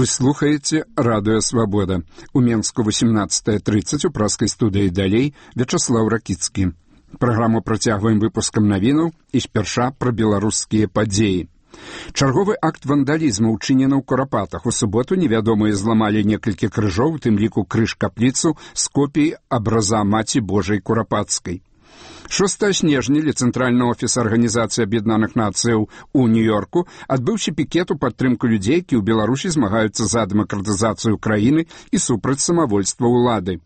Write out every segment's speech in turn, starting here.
Вы слухаеце Радыё Свабода. У Менску 18:30 у праскай студыі далей Вячаслаў Ракіцкі. Праграму працягваем выпускам навінаў і спярша пра беларускія падзеі. Чарговы акт вандалізму ўчынены ў Курапатах. У суботу невядомыя зламалі некалькі крыжоў, у тым ліку крыж-капліцу з копіяй абраза Маці Божай Курапацкай. 6 снежня Цэнтральны офіс Арганізацыі Аб'яднаных Нацыяў у Нью-Йорку адбыўся пікет у падтрымку людзей, які ў Беларусі змагаюцца за дэмакратызацыю краіны і супраць самавольства ўлады.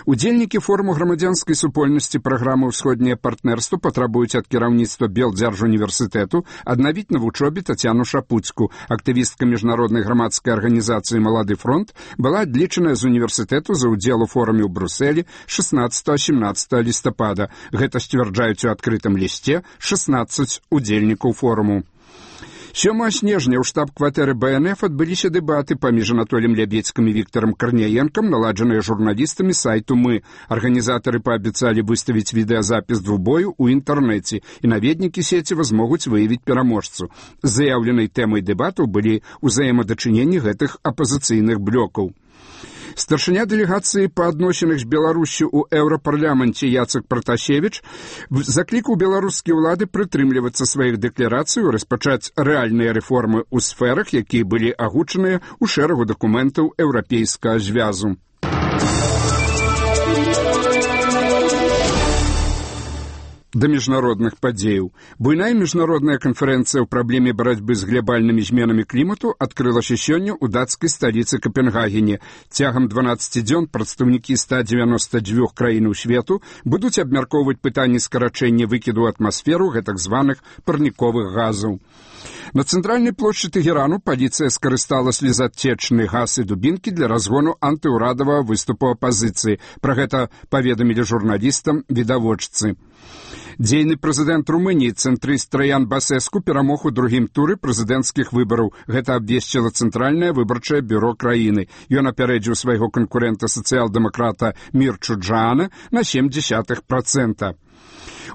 Удзельнікі форуму грамадзянскай супольнасці праграмы «Усходняе партнерство» патрабуюць ад кіраўніцтва Белдзяржуніверсітэту аднавіць на вучобе Тацяну Шапуцьку. Актывістка міжнароднай грамадскай арганізацыі «Малады фронт» была адлічаная з універсітэту за ўдзел у форуме ў Брусэлі 16-17 лістапада. Гэта сцвярджаюць у адкрытым лісце 16 удзельнікаў форуму. 7 снежня ў штаб-кватэры БНФ адбыліся дэбаты паміж Анатоліем Лябедзькім і Віктарам Карняенкам, наладжаныя журналістамі сайту «Мы». Арганізатары паабяцалі выставіць відэазапіс двубою ў інтэрнэце, і наведнікі сеціва змогуць выявіць пераможцу. Заяўленай тэмай дэбатаў былі ўзаемадачыненні гэтых апазіцыйных блёкаў. Старшыня дэлегацыі па адносінах з Беларусю ў Еўрапарламенце Яцек Пратасевіч заклікаў беларускія ўлады прытрымлівацца сваіх дэкларацый і распачаць рэальныя рэформы ў сферах, якія былі агучаныя ў шэрагу дакументаў Еўрапейскага звязу. Да міжнародных падзеяў. Буйная міжнародная канферэнцыя ў праблеме барацьбы з глобальнымі зменамі клімату адкрылася сёння ў дацкай сталіцы Капенгагене. Цягам 12 дзён прадстаўнікі 192 краінаў свету будуць абмяркоўваць пытанні скарачэння выкіду ў атмасферу гэтак званых парніковых газаў. На цэнтральнай плошчы Тэгерану паліцыя скарыстала слезатечны газ і дубінкі для разгону антыўрадавага выступу апазіцыі. Пра гэта паведамілі журналістам відавочцы. Дзейны прэзідэнт Румыніі цэнтрыст Траян Басэску перамог у другім туры прэзідэнцкіх выбараў. Гэта абвесціла Цэнтральнае выбарчае бюро краіны. Ён апярэдзіў свайго канкурэнта сацыял-дэмакрата Мірчу Джаана на 0,7%.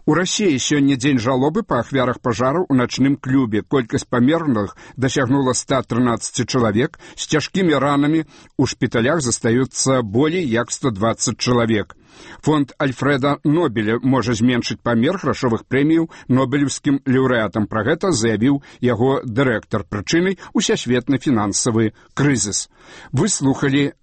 У Расіі сёння дзень жалобы па ахвярах пажараў у начным клубе. Колькасць памерлых дасягнула 113 чалавек. З цяжкімі ранамі у шпіталях застаюцца болей як 120 чалавек. Фонд Альфреда Нобеля можа зменшыць памер грашовых прэміяў нобелеўскім лаўрэатам. Пра гэта заявіў яго дырэктар. Прычынай усесветны фінансавы крызіс. Вы слухалі